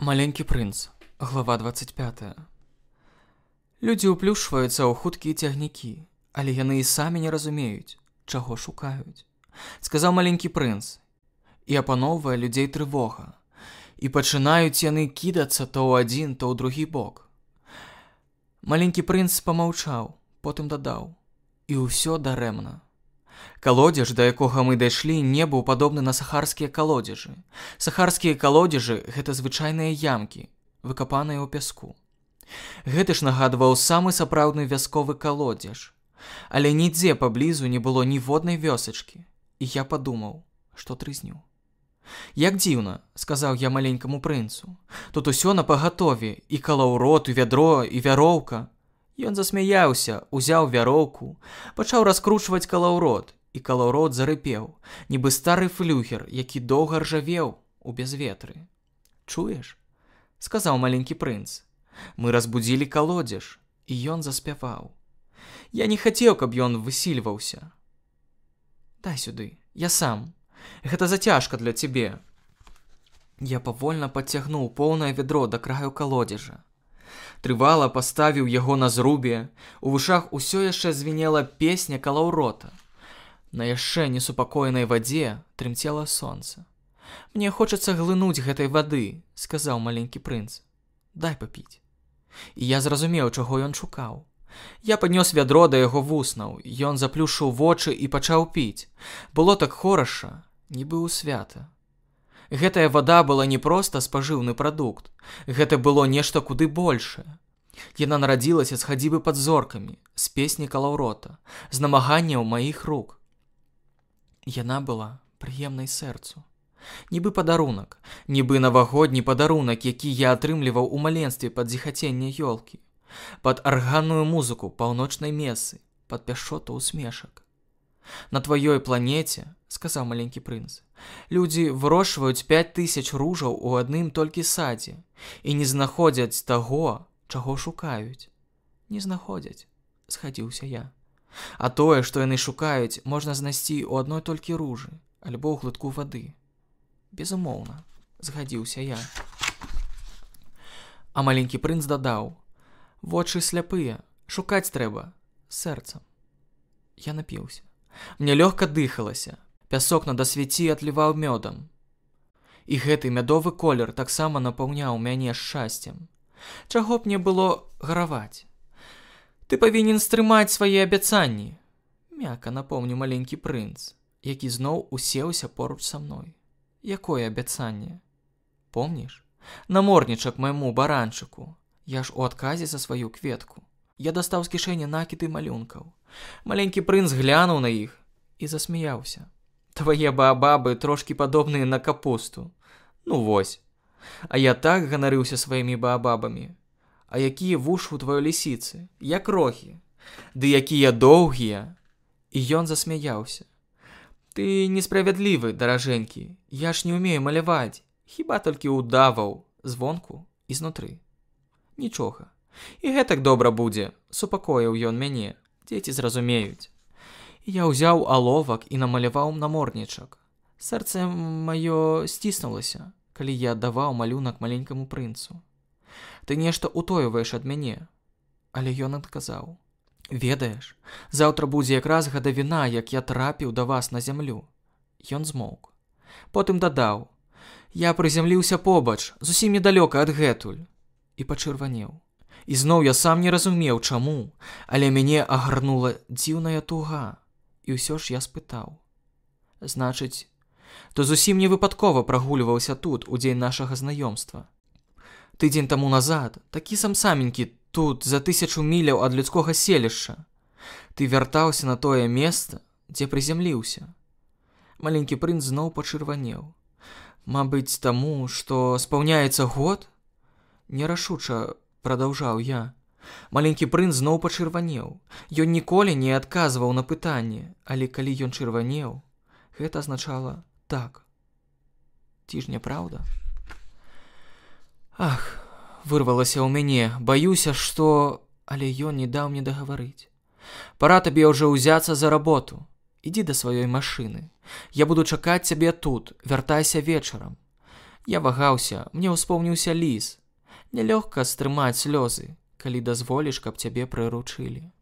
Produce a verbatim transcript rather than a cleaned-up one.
Маленькі прынц, глава двадцать пятая. Людзі ўплюшваюцца ў хуткія цягнікі, але яны і самі не разумеюць, чаго шукаюць, сказаў маленькі прынц, і апаноўвае людзей трывога, і пачынаюць яны кідацца то ў адзін, то ў другі бок. Маленькі прынц памаўчаў, потым дадаў, і ўсё дарэмна. Калодзеж, да якога мы дайшлі, не быў падобны на сахарскія калодзежы. Сахарскія калодзежы – гэта звычайныя ямкі, выкапаныя ў пяску. Гэты ж нагадваў самы сапраўдны вясковы калодзеж. Але нідзе паблізу не было ніводнай вёсачкі, і я падумаў, што трызню. «Як дзіўна», – сказаў я маленькаму прынцу. «Тут усё напагатове, і калаўрот, і вядро, і вяроўка». Ён засмяяўся, узяў вяроўку, пачаў раскручваць калаўрот, і калаўрот зарыпеў, нібы стары флюгер, які доўга ржавеў у безветры. «Чуеш?» – сказаў маленькі прынц. «Мы разбудзілі калодзеж, і ён заспяваў. Я не хацеў, каб ён высільваўся. Дай сюды, я сам. Гэта зацяжка для цябе». Я павольна падцягнуў поўнае вядро да краю калодзежа. Трывала паставіў яго на зрубе, у вушах усё яшчэ звінела песня калаўрота. На яшчэ несупакоенай вадзе трымцела сонца. «Мне хочацца глынуць гэтай вады», – сказаў маленькі прынц. «Дай папіць». І я зразумеў, чаго ён шукаў. Я паднёс вядро да яго вуснаў, ён заплюшчыў вочы і пачаў піць. Было так хораша, нібы ў свята. Гэтая вада была не проста спажыўны прадукт, гэта было нешта куды большае. Яна нарадзілася з хадзібы пад зоркамі, з песні калаўрота, з намаганняў маіх рук. Яна была прыемнай сэрцу. Нібы падарунак, нібы навагодні падарунак, які я атрымліваў у маленстве пад зіхаценне ёлкі, пад арганную музыку паўночнай месы, пад пяшчоту усмешак. «На тваёй планеце, – сказаў маленькі прынц, – людзі вырошчваюць пяць тысяч ружаў у адным толькі садзе і не знаходзяць таго, чаго шукаюць». «Не знаходзяць», – згадзіўся я. «А тое, што яны шукаюць, можна знайсці ў адной толькі ружы, альбо ў глытку вады». «Безумоўна», – згадзіўся я. А маленькі прынц дадаў: «Вочы сляпыя, шукаць трэба сэрцам». Я напіўся. Мне лёгка дыхалася, пясок на дасвяці атліваў мёдам. І гэты мядовы колер таксама напаўняў мяне шчасцем. Чаго б мне было гараваць? «Ты павінен стрымаць свае абяцанні», – мякка напомніў маленькі прынц, які зноў усеўся поруч са мной. «Якое абяцанне? Помніш? Наморднічак майму баранчыку. Я ж у адказе за сваю кветку». Я дастаў з кішэні накіды малюнкаў. Маленькі прынц глянуў на іх і засмяяўся. «Твае баабабы трошкі падобныя на капусту. Ну вось. А я так ганарыўся сваімі баабабамі. А якія вушы ў тваёй лісіцы, як рохі. Ды якія доўгія». І ён засмяяўся. «Ты несправядлівы, даражэнькі. Я ж не ўмею маляваць, хіба толькі ўдаваў звонку і знутры. Нічога. І гэтак добра будзе», – супакоіў ён мяне. «Дзеці зразумеюць». Я ўзяў аловак і намаляваў наморднічак. Сэрца маё сціснулася, калі я аддаваў малюнак маленькаму прынцу. «Ты нешта ўтойваеш ад мяне». Але ён адказаў: «Ведаеш, заўтра будзе якраз гадавіна, як я трапіў да вас на зямлю». Ён змоўк. Потым дадаў: «Я прызямліўся побач, зусім недалёка адгэтуль». І пачырванеў. І зноў я сам не разумеў, чаму, але мяне агарнула дзіўная туга. І ўсё ж я спытаў: «Значыць, то зусім не выпадкова прагульваўся тут у дзень нашага знаёмства. Тыдзень таму назад, такі сам-саменькі тут, за тысячу міляў ад людскога селішча. Ты вяртаўся на тое месца, дзе прызямліўся». Маленькі прынц зноў пачырванеў. «Мабыць, таму, што спаўняецца год?» Нерашуча прадаўжаў я. Маленькі прынц зноў пачырванеў. Ён ніколі не адказваў на пытанне, але калі ён чырванеў, гэта азначала так. Ці ж не праўда? «Ах», – вырвалася ў мяне, «баюся, што…» Але ён не даў мне дагаварыць. «Пара табе ўжо ўзяцца за работу. Ідзі да сваёй машыны. Я буду чакаць цябе тут, вяртайся вечарам. Я вагаўся, мне ўспомніўся ліс. Нялёгка стрымаць слёзы, калі дазволіш, каб цябе прыручылі.